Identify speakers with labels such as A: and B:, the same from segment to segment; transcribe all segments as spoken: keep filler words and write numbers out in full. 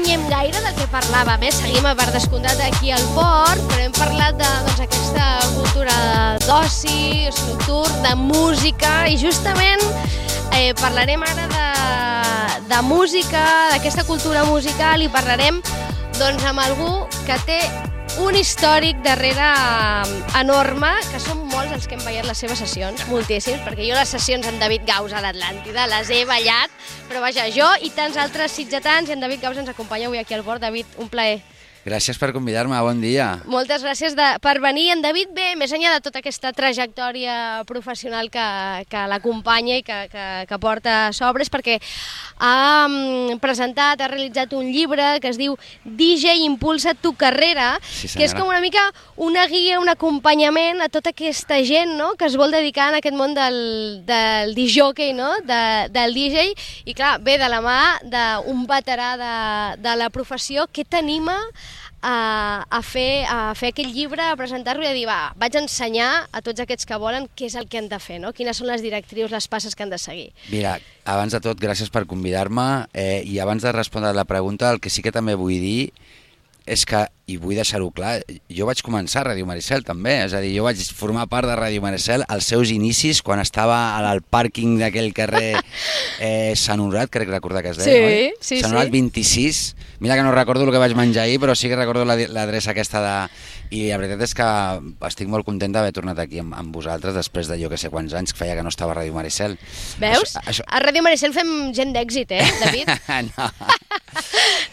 A: allunyem gaire del que parlàvem, eh? Seguim a part descomptat aquí al port, però hem parlat d'aquesta doncs, cultura d'oci, nocturn, de música, i justament eh, parlarem ara de, de música, d'aquesta cultura musical, i parlarem doncs, amb algú que té un històric darrere enorme, que són molts els que hem ballat les seves sessions, moltíssims, perquè jo les sessions amb David Gaus a l'Atlàntida les he ballat, però vaja, jo i tants altres sitgetans, i en David Gaus ens acompanya avui aquí al bord. David, un plaer.
B: Gràcies per convidar-me, bon dia.
A: Moltes gràcies de, per venir. En David ve més enllà de tota aquesta trajectòria professional que, que l'acompanya i que, que, que porta sobres, perquè ha um, presentat, ha realitzat un llibre que es diu D J Impulsa tu carrera,
B: sí,
A: que és com una mica una guia, un acompanyament a tota aquesta gent, no?, que es vol dedicar en aquest món del, del disc-jockey, no?, de, del D J, i clar, ve de la mà d'un veterà de, de la professió que t'anima A, a, fer, a fer aquest llibre, a presentar-lo i a dir, va, vaig a ensenyar a tots aquests que volen què és el que han de fer, no? Quines són les directrius, les passes que han de seguir.
B: Mira, abans de tot, gràcies per convidar-me, eh, i abans de respondre la pregunta, el que sí que també vull dir és que, i vull deixar-ho clar, jo vaig començar a Ràdio Maricel també, és a dir, jo vaig formar part de Ràdio Maricel als seus inicis, quan estava al pàrquing d'aquell carrer eh, Sant Honorat, crec recordar que es deia,
A: sí,
B: oi?
A: Sí,
B: Sant Honorat
A: sí.
B: vint-i-sis, mira que no recordo el que vaig menjar ahir, però sí que recordo l'adreça aquesta de... I la veritat és que estic molt content d'haver tornat aquí amb, amb vosaltres després de jo que sé quants anys que feia que no estava a Ràdio Maricel.
A: Veus?
B: Això, això...
A: A Ràdio Maricel fem gent d'èxit, eh, David?
B: No.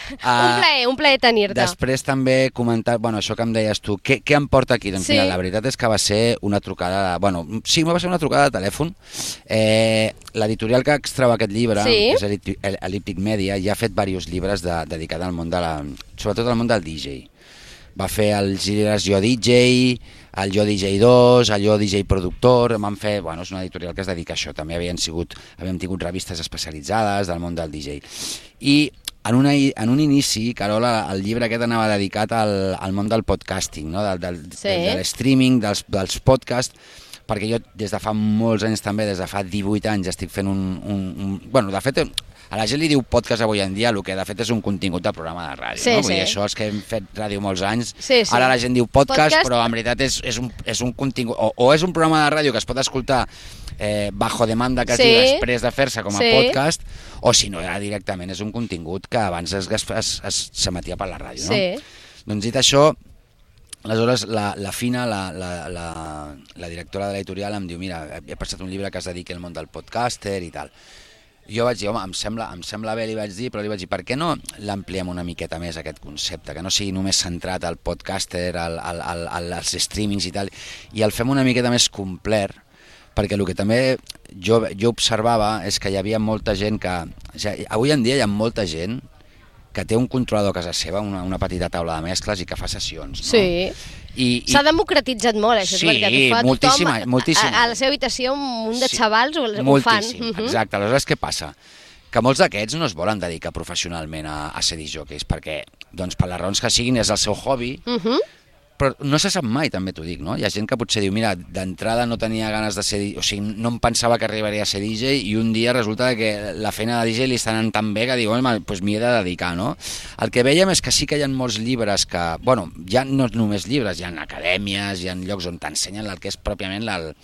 A: un plaer, un plaer tenir-te.
B: Després també comentar, bueno, això que em deies tu, què, què em porta aquí? Doncs
A: sí.
B: Mira, la veritat és que va ser una trucada, de, bueno, sí, va ser una trucada de telèfon. Eh, L'editorial que extreu aquest llibre,
A: sí.
B: que és Elliptic Media, ja ha fet diversos llibres de, dedicats al món de la... sobretot al món del D J. Va fer els llibres Jo D J, el Jo D J dos, el Jo D J productor, van fer, bueno, és una editorial que es dedica a això, també havien sigut, havíem tingut revistes especialitzades del món del D J. I en, una, en un inici, Carola, el llibre aquest anava dedicat al, al món del podcasting, no? del, del,
A: sí.
B: del, de l'streaming, dels, dels podcasts, perquè jo des de fa molts anys també, des de fa divuit anys, estic fent un... un, un bueno, de fet, a la gent li diu podcast avui en dia, el que de fet és un contingut de programa de ràdio,
A: sí,
B: no? Vull
A: sí.
B: dir, això és que hem fet ràdio molts anys,
A: sí, sí.
B: Ara la gent diu podcast,
A: podcast...
B: però en veritat és, és, un, és un contingut, o, o és un programa de ràdio que es pot escoltar eh, bajo demanda, que es
A: sí.
B: diu, després de fer-se com a
A: sí.
B: podcast, o si no, ja directament és un contingut que abans es, es, es, s'emetia per la ràdio, no?
A: Sí.
B: Doncs dit això, aleshores la, la Fina, la, la, la, la directora de l'editorial, em diu, mira, he passat un llibre que es dediqui al món del podcaster i tal. Jo vaig dir, home, em sembla, em sembla bé, li vaig dir, però li vaig dir, per què no l'ampliem una miqueta més, aquest concepte, que no sigui només centrat al podcaster, al, al, al, als streamings i tal, i el fem una miqueta més complet, perquè el que també jo, jo observava és que hi havia molta gent que... O sigui, avui en dia hi ha molta gent que té un controlador a casa seva, una, una petita taula de mescles i que fa sessions, no?
A: Sí. I, i... S'ha democratitzat molt, això,
B: sí,
A: és veritat. Ho fa
B: moltíssima,
A: tothom
B: moltíssima.
A: A, a la seva habitació, un munt de
B: sí,
A: xavals ho, ho fan.
B: Moltíssim,
A: uh -huh.
B: exacte. Aleshores, què passa? Que molts d'aquests no es volen dedicar professionalment a, a ser discjockeys, perquè, doncs, per les raons que siguin, és el seu hobby,
A: uh -huh.
B: però no se sap mai, també t'ho dic, no? Hi ha gent que potser diu, mira, d'entrada no tenia ganes de ser... O sigui, no em pensava que arribaria a ser D J i un dia resulta que la feina de D J li està anant tan bé que diu, home, doncs m'hi he de dedicar, no? El que veiem és que sí que hi ha molts llibres que... Bueno, ja no només llibres, hi ha acadèmies, hi ha llocs on t'ensenyen el que és pròpiament la...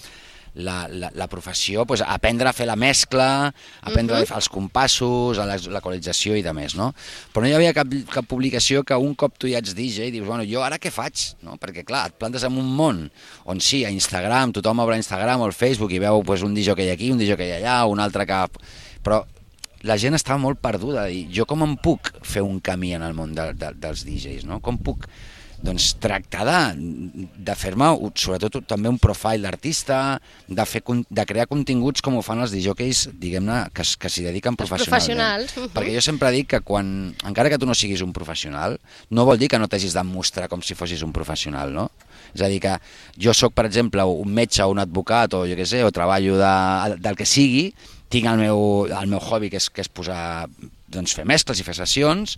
B: La, la, la professió, pues, aprendre a fer la mescla, aprendre uh-huh. a fer els compassos, a l'equalització i de més, no? Però no hi havia cap, cap publicació que un cop tu ja ets D J dius, bueno, jo ara què faig? No? Perquè clar, et plantes en un món on sí, a Instagram, tothom obre Instagram o el Facebook i veu pues, un D J que hi ha aquí, un D J que hi ha allà, un altre que... Però la gent estava molt perduda, i jo com em puc fer un camí en el món de, de, dels D Js, no? Com puc... Doncs tractar de, de fer-me, sobretot també un profile d'artista, de, fer, de crear continguts com ho fan els discjockeys, diguem-ne, que, que s'hi dediquen professionalment.
A: Professionals. Uh-huh.
B: Perquè jo sempre dic que quan, encara que tu no siguis un professional, no vol dir que no t'hagis de mostrar com si fossis un professional, no? És a dir, que jo sóc, per exemple, un metge o un advocat, o jo què sé, o treballo de, del que sigui, tinc el meu, el meu hobby, que és, que és posar, doncs, fer mescles i fer sessions,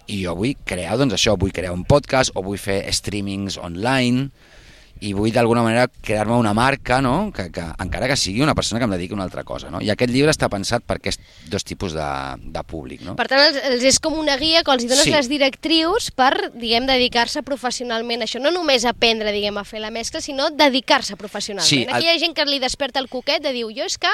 B: i jo vull crear, doncs això, vull crear un podcast o vull fer streamings online i vull d'alguna manera crear-me una marca, no? que, que encara que sigui una persona que em dediqui a una altra cosa. No? I aquest llibre està pensat per aquests dos tipus de, de públic. No?
A: Per tant, els, els és com una guia que els dones
B: Sí.
A: les directrius per, diguem, dedicar-se professionalment a això. No només aprendre, diguem, a fer la mescla, sinó dedicar-se professionalment.
B: Sí,
A: Aquí
B: el-
A: hi ha gent que li desperta el coquet de dir, jo és que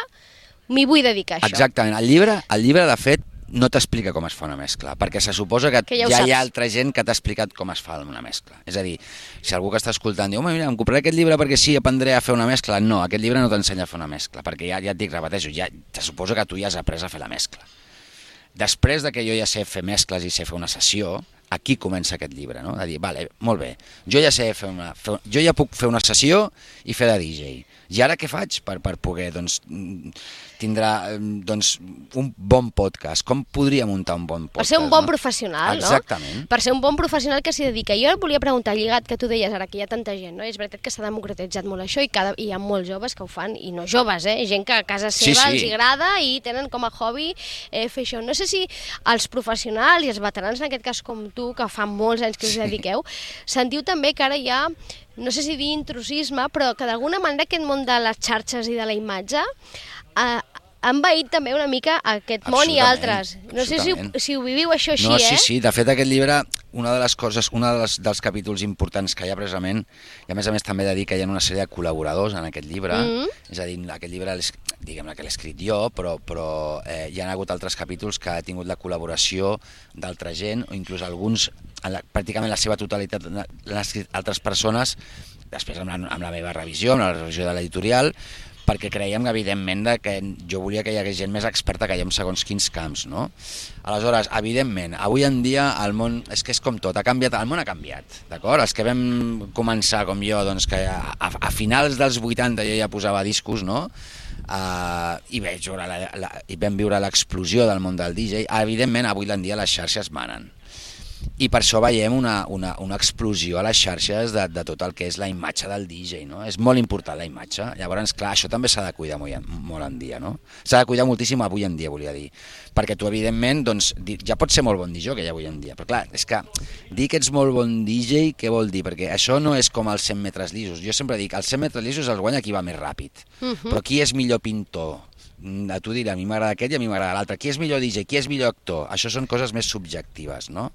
A: m'hi vull dedicar a això.
B: Exactament. El llibre, el llibre, de fet, no t'explica com es fa una mescla, perquè se suposa que,
A: Que ja ho
B: ja hi ha
A: saps.
B: altra gent que t'ha explicat com es fa una mescla. És a dir, si algú que està escoltant diu, home, mira, em compraré aquest llibre perquè sí, aprendré a fer una mescla. No, aquest llibre no t'ensenya a fer una mescla, perquè ja, ja et dic, repeteixo, ja, se suposa que tu ja has après a fer la mescla. Després de que jo ja sé fer mescles i sé fer una sessió, aquí comença aquest llibre, no? De dir, vale, molt bé, jo ja sé fer una... Fer, jo ja puc fer una sessió i fer de D J. I ara què faig per, per poder, doncs, tindrà doncs, un bon podcast? Com podria muntar un bon podcast?
A: Per ser un bon
B: no?
A: professional,
B: Exactament.
A: no? Per ser un bon professional que s'hi dedica. Jo et volia preguntar, lligat, que tu deies ara que hi ha tanta gent, no? És veritat que s'ha democratitzat molt això i, cada, i hi ha molts joves que ho fan, i no joves, eh? Gent que a casa seva
B: Sí, sí.
A: els hi agrada i tenen com a hobby eh, fer això. No sé si els professionals i els veterans, en aquest cas com tu, que fa molts anys que us dediqueu, sentiu també que ara hi ha, no sé si dir intrusisme, però que d'alguna manera aquest món de les xarxes i de la imatge eh, han veït també una mica aquest món i
B: Absolutament,
A: altres. No sé si, ho-
B: absolutament.
A: si ho viviu això així,
B: No,
A: eh?
B: sí, sí, de fet aquest llibre, una de les coses, un dels, dels capítols importants que hi ha precisament, i a més a més també he de dir que hi ha una sèrie de col·laboradors en aquest llibre,
A: Mm.
B: és a dir, aquest llibre, l'he- diguem-ne que l'he escrit jo, però, però eh, hi ha hagut altres capítols que ha tingut la col·laboració d'altra gent, o inclús alguns, en la, pràcticament la seva totalitat, l'han escrit altres persones, després amb la, amb la meva revisió, amb la revisió de l'editorial, perquè creiem, evidentment, de que jo volia que hi hagués gent més experta que jo en segons quins camps, no? Aleshores, evidentment, avui en dia el món, és que és com tot, ha canviat, el món ha canviat, d'acord? Els que vam començar, com jo, doncs que a, a, a finals dels vuitanta jo ja posava discos, no? Uh, i, veig, veure la, la, i vam viure l'explosió del món del D J. Evidentment, avui en dia les xarxes manen. I per això veiem una, una, una explosió a les xarxes de, de tot el que és la imatge del D J, no? És molt important la imatge. Llavors, clar, això també s'ha de cuidar molt, molt en dia, no? S'ha de cuidar moltíssim avui en dia, volia dir. Perquè tu, evidentment, doncs, ja pots ser molt bon D J que avui en dia. Però, clar, és que dir que ets molt bon D J, què vol dir? Perquè això no és com els cent metres llisos. Jo sempre dic, els cent metres llisos els guanya qui va més ràpid.
A: Mhm.
B: Però qui és millor pintor? A tu dirà, a mi m'agrada aquest i a mi m'agrada l'altre. Qui és millor D J? Qui és millor actor? Això són coses més subjectives, no?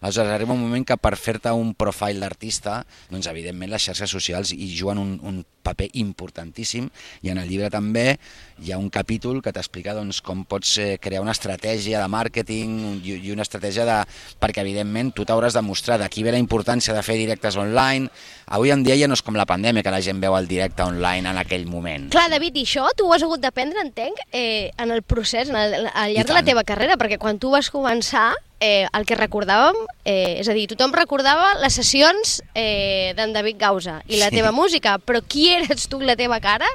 B: Aleshores, arriba un moment que per fer-te un profile d'artista, doncs, evidentment, les xarxes socials hi juguen un, un paper importantíssim, i en el llibre també hi ha un capítol que t'explica doncs, com pots eh, crear una estratègia de màrqueting i, i una estratègia de... perquè, evidentment, tu t'hauràs de mostrar d'aquí ve la importància de fer directes online. Avui en dia ja no és com la pandèmia, que la gent veu el directe online en aquell moment.
A: Clar, David, i això tu ho has hagut d'aprendre, entenc, eh, en el procés, en el, al
B: I
A: llarg de la
B: tant.
A: teva carrera, perquè quan tu vas començar, eh, el que recordàvem, eh, és a dir, tothom recordava les sessions eh, d'en David Gausa i la
B: Sí.
A: teva música, però qui eres tu, la teva cara?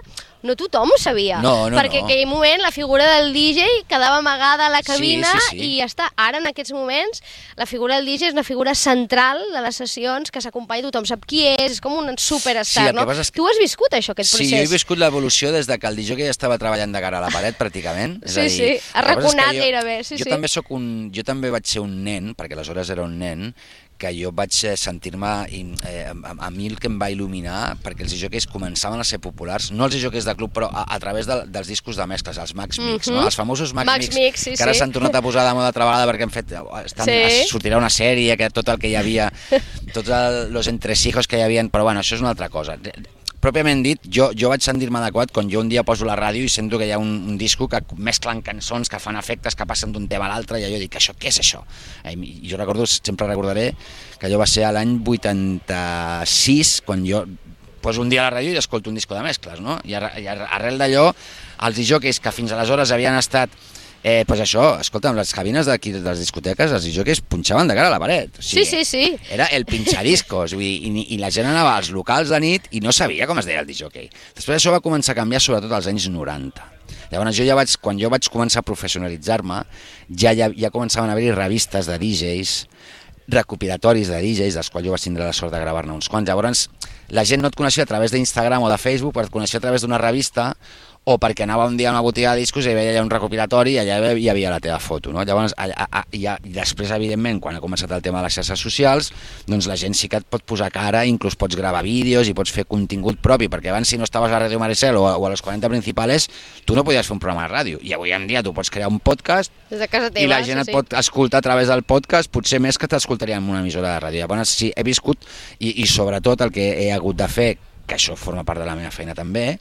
A: No tothom ho sabia,
B: No, no,
A: perquè
B: no.
A: en aquell moment la figura del D J quedava amagada a la
B: Sí,
A: cabina
B: sí, sí.
A: i ja està. Ara, en aquests moments, la figura del D J és una figura central de les sessions que s'acompanya, tothom sap qui és, és com un superstar,
B: Sí, el que
A: no?
B: passa és que-
A: Tu has viscut això, aquest
B: Sí,
A: procés.
B: jo he viscut l'evolució des de que el D J ja estava treballant de cara a la paret, pràcticament. És
A: Sí,
B: a dir,
A: sí,
B: el que passa és que
A: arraconat
B: jo-
A: gairebé, sí,
B: jo
A: sí.
B: També soc un, jo també vaig ser un nen, perquè aleshores era un nen, que jo vaig eh, sentir-me, i, eh, a, a mi el que em va il·luminar, perquè els D Js començaven a ser populars, no els D Js de club, però a, a través de, dels discos de mescles, els Max Mix,
A: Mhm.
B: no? Els famosos Max,
A: Max
B: Mix,
A: Mix, sí,
B: que ara
A: sí.
B: s'han tornat a posar de moda altra vegada perquè han fet, estan,
A: Sí.
B: sortirà una sèrie, que tot el que hi havia, tots els entresijos que hi havia, però bueno, això és una altra cosa. Pròpiament dit, jo, jo vaig sentir-me adequat quan jo un dia poso la ràdio i sento que hi ha un, un disco que mesclen cançons, que fan efectes, que passen d'un tema a l'altre, i jo dic, això, què és això? Eh, i jo recordo, sempre recordaré que allò va ser a l'any vuitanta-sis, quan jo poso un dia a la ràdio i escolto un disco de mescles, no? I, ar i ar arrel d'allò, els disjòqueis que fins aleshores havien estat Eh, pues això, escolta'm, les cabines d'aquí de les discoteques, els disjòqueis punxaven de cara a la paret. O
A: Sí, sí, sí.
B: Era el pinxadiscos, vull dir, i, i la gent anava als locals de nit i no sabia com es deia el disjòquei. Després això va començar a canviar, sobretot als anys noranta. Llavors jo ja vaig, quan jo vaig començar a professionalitzar-me, ja, ja, ja començaven a haver-hi revistes de D Js, recopilatoris de D Js, dels quals jo vaig tindre la sort de gravar-ne uns quants. Llavors la gent no et coneixia a través d'Instagram o de Facebook, però et coneixia a través d'una revista o perquè anava un dia a una botiga de discos i hi veia allà un recopilatori i allà hi havia la teva foto, no? Llavors, a, a, a, i, a, i després, evidentment, quan ha començat el tema de les xarxes socials, doncs la gent sí que et pot posar cara, inclús pots gravar vídeos i pots fer contingut propi, perquè abans si no estaves a Ràdio Maricel o a, o a los quaranta principales, tu no podies fer un programa de ràdio, i avui en dia tu pots crear un podcast
A: des de casa teva,
B: i la gent
A: sí,
B: et pot escoltar a través del podcast, potser més que t'escoltaria en una emissora de ràdio. Llavors, sí, he viscut, i, i sobretot el que he hagut de fer, que això forma part de la meva feina també,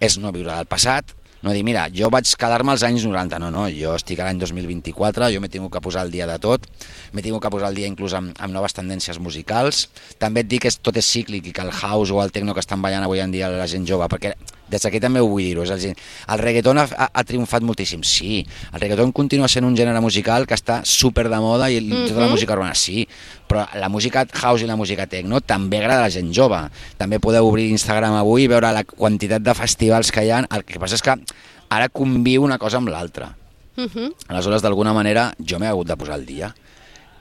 B: és no viure del passat, no dir, mira, jo vaig quedar-me als anys noranta, no, no, jo estic a l'any dos mil vint-i-quatre, jo m'he tingut que posar al dia de tot, m'he tingut que posar al dia inclús amb, amb noves tendències musicals, també et dic que tot és cíclic i que el house o el techno que estan ballant avui en dia la gent jove, perquè des d'aquí també ho vull dir-ho, és a dir, el reggaeton ha, ha, ha triomfat moltíssim, sí, el reggaeton continua sent un gènere musical que està super de moda i mm-hmm. tota la música urbana, sí, però la música house i la música techno també agrada a la gent jove, també podeu obrir Instagram avui i veure la quantitat de festivals que hi ha, el que passa és que ara conviu una cosa amb l'altra, mm-hmm. aleshores d'alguna manera jo m'he hagut de posar al dia.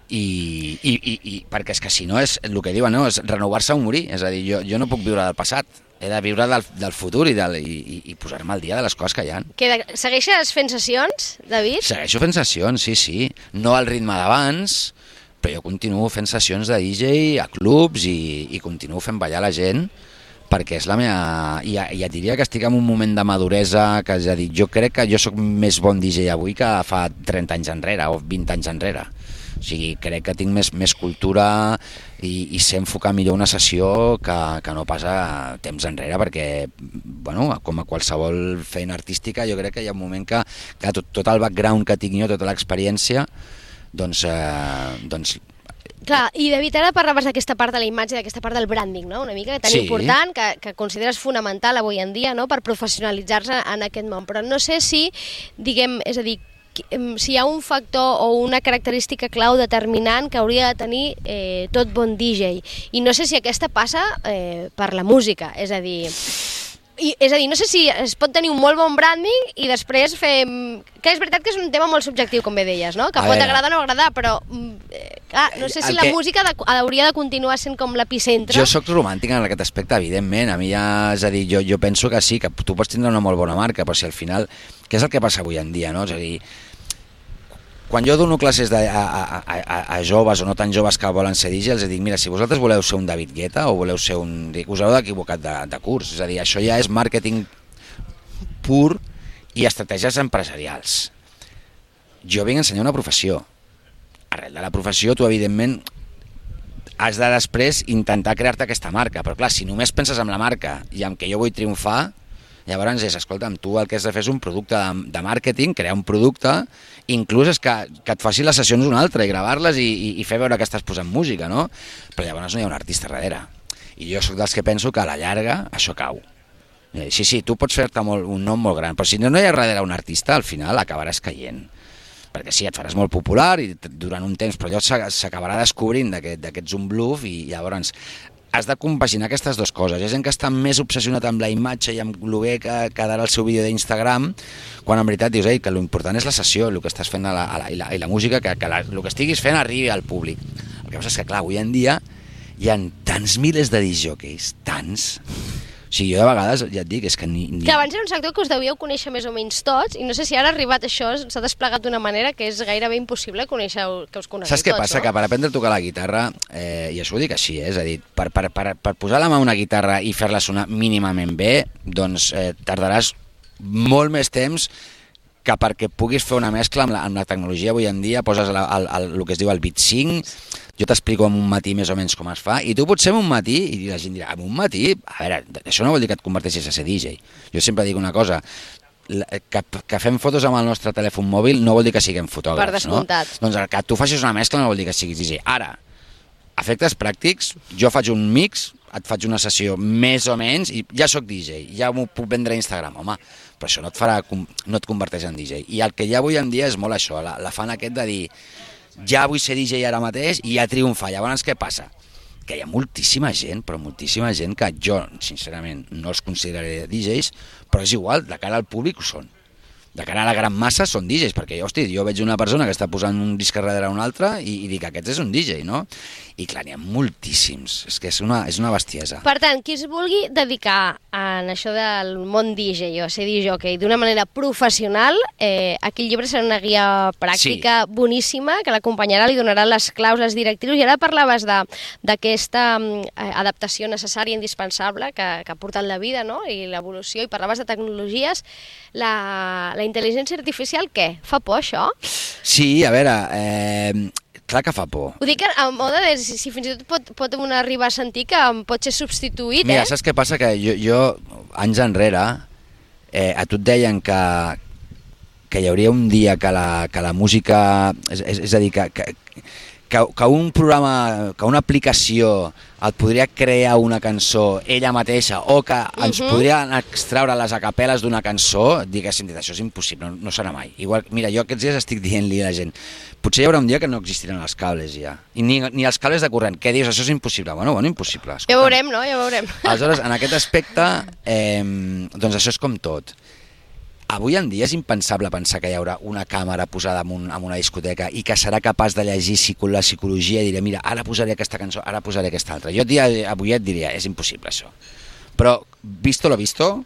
B: I, i, i, i perquè és que si no és el que diuen, no? És renovar-se o morir, és a dir, jo, jo no puc viure del passat, he de viure del, del futur i, del, i, i posar-me al dia de les coses que hi ha.
A: Que de, segueixes fent sessions, David?
B: Segueixo fent sessions, sí, sí, no al ritme d'abans, però jo continuo fent sessions de D J a clubs i, i continuo fent ballar la gent perquè és la meva... I, i et diria que estic en un moment de maduresa, que és a dir, jo crec que jo sóc més bon D J avui que fa trenta anys enrere o vint anys enrere. O sigui, crec que tinc més, més cultura i, i sé enfocar millor una sessió que, que no passa temps enrere, perquè, bueno, com a qualsevol feina artística, jo crec que hi ha un moment que, que tot, tot el background que tinc jo, tota l'experiència, doncs... Eh, doncs
A: Clar, i David, ara parlaves d'aquesta part de la imatge, d'aquesta part del branding, no? Una mica tan
B: sí.
A: important, que, que consideres fonamental avui en dia, no?, per professionalitzar-se en aquest món. Però no sé si, diguem, és a dir, si hi ha un factor o una característica clau determinant que hauria de tenir eh, tot bon D J. I no sé si aquesta passa eh, per la música, és a dir... I, és a dir, no sé si es pot tenir un molt bon branding i després fer... Que és veritat que és un tema molt subjectiu, com bé deies, no? Que a pot veure. agradar o no agradar, però eh, clar, no sé si el la que... música de, hauria de continuar sent com l'epicentre.
B: Jo sóc romàntic en aquest aspecte, evidentment. A mi ja, és a dir, jo, jo penso que sí, que tu pots tindre una molt bona marca, però si al final... Què és el que passa avui en dia, no? És a dir, quan jo dono classes de, a, a, a, a joves o no tan joves que volen ser D J, els dic, mira, si vosaltres voleu ser un David Guetta o voleu ser un... us heu equivocat de, de curs, és a dir, això ja és màrqueting pur i estratègies empresarials. Jo vinc a ensenyar una professió. Arrel de la professió, tu, evidentment, has de després intentar crear-te aquesta marca, però clar, si només penses en la marca i en què jo vull triomfar, llavors és, escolta'm, tu el que has de fer és un producte de, de màrqueting, crear un producte, inclús és que, que et faci les sessions un altre i gravar-les i, i, i fer veure que estàs posant música, no? Però llavors no hi ha un artista darrere. I jo sóc dels que penso que a la llarga això cau. Sí, sí, tu pots fer-te molt, un nom molt gran, però si no, no hi ha darrere un artista, al final acabaràs caient. Perquè sí, et faràs molt popular i durant un temps, però allò s'acabarà descobrint d'aquest, d'aquests un bluff i llavors... has de compaginar aquestes dues coses. Hi ha gent que està més obsessionat amb la imatge i amb el bé que quedarà el seu vídeo d'Instagram, quan en veritat dius, ei, que l'important és la sessió, el que estàs fent a la, a la, i, la, i la música, que, que la, el que estiguis fent arribi al públic. El que passa és que, clar, avui en dia hi ha tants milers de discjòqueis, tants... O sigui, jo de vegades, ja et dic, és que ni... ni...
A: Que abans era un sector que us devíeu conèixer més o menys tots, i no sé si ara ha arribat això, s'ha desplegat d'una manera que és gairebé impossible conèixer, que us conegueu tots,
B: Saps què passa?
A: No?
B: Que per aprendre a tocar la guitarra, eh, i això ho dic així, eh, és a dir, per, per, per, per posar la mà a una guitarra i fer-la sonar mínimament bé, doncs eh, tardaràs molt més temps que perquè puguis fer una mescla amb la, amb la tecnologia avui en dia, poses la, el, el, el que es diu el beat sync, jo t'explico en un matí més o menys com es fa, i tu potser en un matí, i la gent dirà, en un matí, a veure, això no vol dir que et converteixis a ser D J. Jo sempre dic una cosa, que, que fem fotos amb el nostre telèfon mòbil no vol dir que siguem fotògrafs,
A: per descomptat.
B: No? Doncs que tu facis una mescla no vol dir que siguis D J. Ara, efectes pràctics, jo faig un mix, et faig una sessió més o menys, i ja sóc D J, ja m'ho puc vendre a Instagram, home, però això no et farà, no et converteix en D J. I el que hi ha avui en dia és molt això, l'afany aquest de dir, ja vull ser D J ara mateix i ja triomfar. Llavors què passa? Que hi ha moltíssima gent, però moltíssima gent que jo, sincerament, no els consideraré D Js, però és igual, de cara al públic ho són. de cara a la gran massa són D Js, perquè, hosti, jo veig una persona que està posant un disc darrere un altre i, i dic, aquest és un D J, no? I clar, n'hi ha moltíssims, és que és una, és una bestiesa.
A: Per tant, qui es vulgui dedicar en això del món D J o a ser D J d'una manera professional, eh, aquell llibre serà una guia pràctica sí. boníssima que l'acompanyarà, li donarà les claus, les directrius, i ara parlaves d'aquesta eh, adaptació necessària, indispensable, que, que ha portat la vida, no? I l'evolució, i parlaves de tecnologies. La, la intel·ligència artificial, què? Fa por, això?
B: Sí, a veure... Eh... Clar que fa por.
A: Ho dic a mode de si, si fins i tot pot, pot una arribar a sentir que pot ser substituït,
B: Mira,
A: eh?
B: saps què passa? Que jo, jo anys enrere, eh, a tu et deien que, que hi hauria un dia que la, que la música... És, és, és a dir, que, que, que, que un programa, que una aplicació et podria crear una cançó ella mateixa o que ens uh-huh. podrien extraure les acapel·les d'una cançó, diguéssim, això és impossible, no, no serà mai. Igual, mira, jo aquests dies estic dient-li a la gent, potser hi haurà un dia que no existiran els cables ja, i ni, ni els cables de corrent. Què dius? Això és impossible. Bueno, bueno, impossible. Escolta.
A: Ja veurem, no? Ja veurem.
B: Aleshores, en aquest aspecte, eh, doncs això és com tot. Avui en dia és impensable pensar que hi haurà una càmera posada en, un, en una discoteca i que serà capaç de llegir la psicologia i diré, mira, ara posaré aquesta cançó, ara posaré aquesta altra. Jo dia, avui et diria, és impossible això. Però, visto lo visto,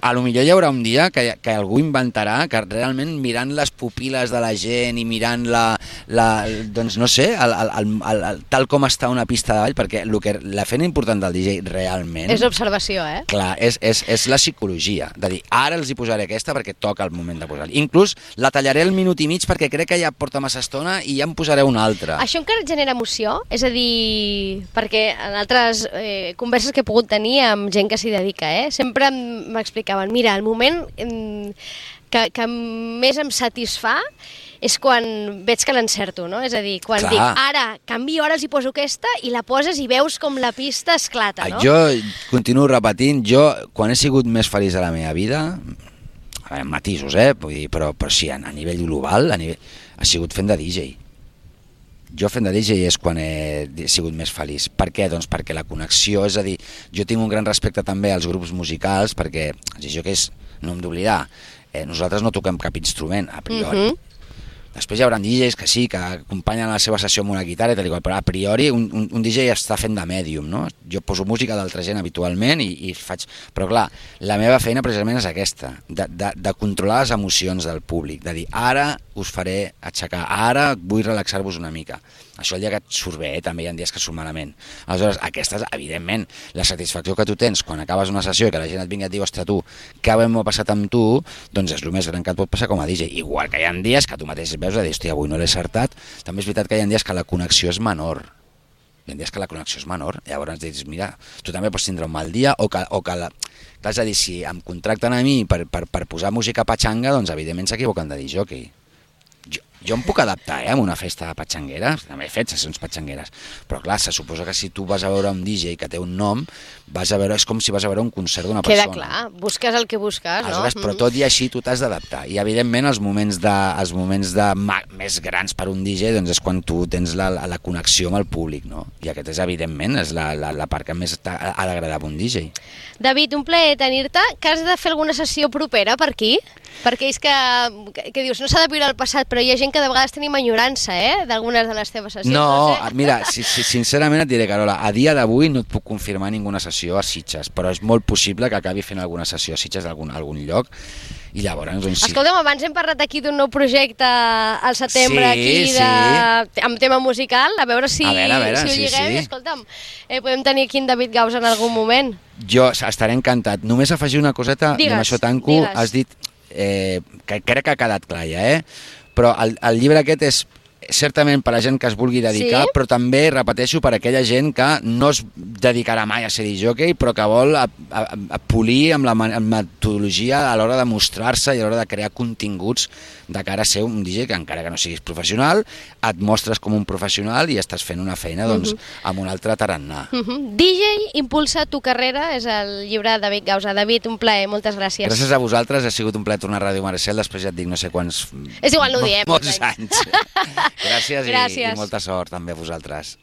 B: a lo millor hi haurà un dia que, que algú inventarà que realment mirant les pupil·les de la gent i mirant la, la doncs no sé, el, el, el, el, tal com està una pista de ball, perquè el que, la feina important del D J realment...
A: És l'observació, eh?
B: Clar, és, és, és la psicologia, de dir, ara els hi posaré aquesta perquè toca el moment de posar-la. Inclús la tallaré el minut i mig perquè crec que ja porta massa estona i ja em posaré una altra.
A: Això encara et genera emoció? És a dir, perquè en altres eh, converses que he pogut tenir amb gent que s'hi dedica, eh, sempre m'explicaven, mira, el moment que, que més em satisfà és quan veig que l'encerto, no? És a dir, quan Clar. dic, ara, canvio, ara els hi poso aquesta, i la poses i veus com la pista esclata, no?
B: Jo continuo repetint, jo, quan he sigut més feliç a la meva vida, a veure, matisos, eh? Vull dir, però, però sí, a nivell global, a nivell, ha sigut fent de D J. Jo fent de D J és quan he sigut més feliç. Per què? Doncs perquè la connexió, és a dir, jo tinc un gran respecte també als grups musicals, perquè els D Js, no hem d'oblidar, eh, nosaltres no toquem cap instrument, a priori. Uh-huh. Després hi haurà D Js que sí, que acompanyen la seva sessió amb una guitarra i tal, però a priori un, un, un D J està fent de mèdium, no? Jo poso música d'altra gent habitualment i, i faig... Però clar, la meva feina precisament és aquesta, de, de, de controlar les emocions del públic, de dir, ara us faré aixecar, ara vull relaxar-vos una mica. Això el dia que et surt bé, eh? També hi ha dies que surt malament. Aleshores, aquesta és, evidentment, la satisfacció que tu tens quan acabes una sessió i que la gent et vingui i et diu, ostres, tu, què m'ho passat amb tu? Doncs és el més gran que et pot passar com a D J. Igual que hi ha dies que tu mateix veus a dir, hòstia, avui no l'he acertat. També és veritat que hi ha dies que la connexió és menor. Hi ha dies que la connexió és menor. Llavors dius, mira, tu també pots tindre un mal dia o que... O que la... Clar, és a dir, si em contracten a mi per, per, per posar música patxanga, doncs evidentment s'equivoquen de dir jockey. Jo, jo em puc adaptar, eh, a una festa patxanguera, també he fet sessions patxangueres, però clar, se suposa que si tu vas a veure un D J que té un nom, vas a veure, és com si vas a veure un concert d'una persona.
A: Queda clar, busques el que busques, no?
B: Aleshores, però tot i així tu t'has d'adaptar, i evidentment els moments, de, els moments de, més grans per un D J doncs és quan tu tens la, la connexió amb el públic, no? I aquest és evidentment és la, la, la part que més ha d'agradar a un D J.
A: David, un plaer tenir-te, que has de fer alguna sessió propera per aquí? Perquè és que, que, que dius, no s'ha de viure el passat, però hi ha gent que de vegades tenim enyorança, eh?, d'algunes de les teves sessions.
B: No,
A: no sé.
B: Mira, si, si, sincerament et diré, Carola, a dia d'avui no et puc confirmar ninguna sessió a Sitges, però és molt possible que acabi fent alguna sessió a Sitges d'algun algun lloc, i llavors... Doncs, sí.
A: Escolta'm, abans hem parlat aquí d'un nou projecte al setembre, sí, aquí, de, sí. amb tema musical, a veure si, a veure, a veure, si ho sí, lliguem. Sí. Escolta'm, eh, podem tenir aquí en David Gausa en algun moment.
B: Jo estaré encantat. Només afegir una coseta, digues, i amb això tanco, digues. Has dit... Eh, que crec que ha quedat clar ja, eh? Però el, el llibre aquest és certament per a gent que es vulgui dedicar, sí? Però també, repeteixo, per a aquella gent que no es dedicarà mai a ser discjòquei, però que vol a, a, a polir amb la metodologia a l'hora de mostrar-se i a l'hora de crear continguts de cara a ser un D J que encara que no siguis professional, et mostres com un professional i estàs fent una feina doncs, uh-huh. amb un altre tarannà.
A: Uh-huh. D J impulsa tu carrera, és el llibre de David Gausa. David, un plaer, moltes gràcies.
B: Gràcies a vosaltres, ha sigut un plaer tornar a Ràdio Maricel, després ja et dic no sé quants...
A: És igual, no ho diem.
B: Molts anys. Gràcies,
A: Gràcies.
B: I, i molta sort també a vosaltres.